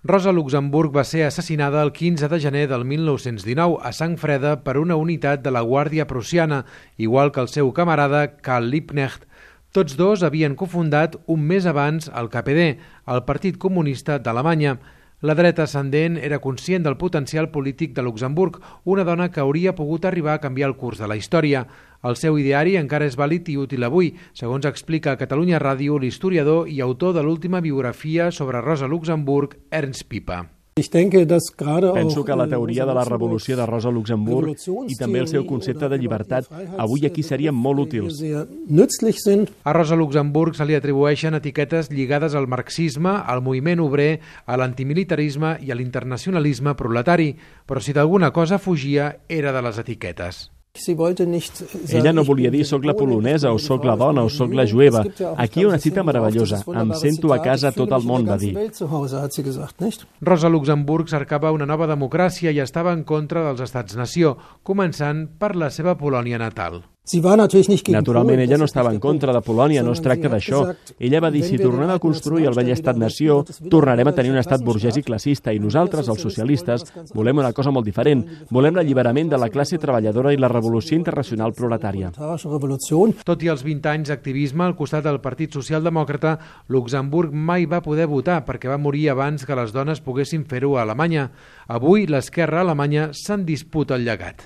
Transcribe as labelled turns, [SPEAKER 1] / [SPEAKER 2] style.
[SPEAKER 1] Rosa Luxemburg va ser assassinada el 15 de gener del 1919 a sang freda per una unitat de la Guàrdia Prussiana, igual que el seu camarada Karl Liebknecht. Tots dos havien cofundat un mes abans el KPD, el Partit Comunista d'Alemanya. La dreta ascendent era conscient del potencial polític de Luxemburg, una dona que hauria pogut arribar a canviar el curs de la història. El seu ideari encara és vàlid i útil avui, segons explica a Catalunya Ràdio l'historiador i autor de l'última biografia sobre Rosa Luxemburg, Ernst Pipa.
[SPEAKER 2] Penso que la teoria de la revolució de Rosa Luxemburg i també el seu concepte de llibertat avui aquí serien molt útils.
[SPEAKER 1] A Rosa Luxemburg se li atribueixen etiquetes lligades al marxisme, al moviment obrer, a l'antimilitarisme i a l'internacionalisme proletari, però si d'alguna cosa fugia era de les etiquetes.
[SPEAKER 2] Ella no volia dir soc la polonesa o soc la dona o soc la jueva. Aquí hi ha una cita meravellosa. Em sento a casa a tot el món, va dir.
[SPEAKER 1] Rosa Luxemburg cercava una nova democràcia i estava en contra dels estats-nació, començant per la seva Polònia natal.
[SPEAKER 2] Naturalment, ella no estava en contra de Polònia, no es tracta d'això. Ella va dir, si tornem a construir el vell estat-nació, tornarem a tenir un estat burgès i classista, i nosaltres, els socialistes, volem una cosa molt diferent. Volem l'alliberament de la classe treballadora i la revolució internacional proletària.
[SPEAKER 1] Tot i els 20 anys d'activisme al costat del Partit Socialdemòcrata, Luxemburg mai va poder votar perquè va morir abans que les dones poguessin fer-ho a Alemanya. Avui, l'esquerra alemanya se'n disputa el llegat.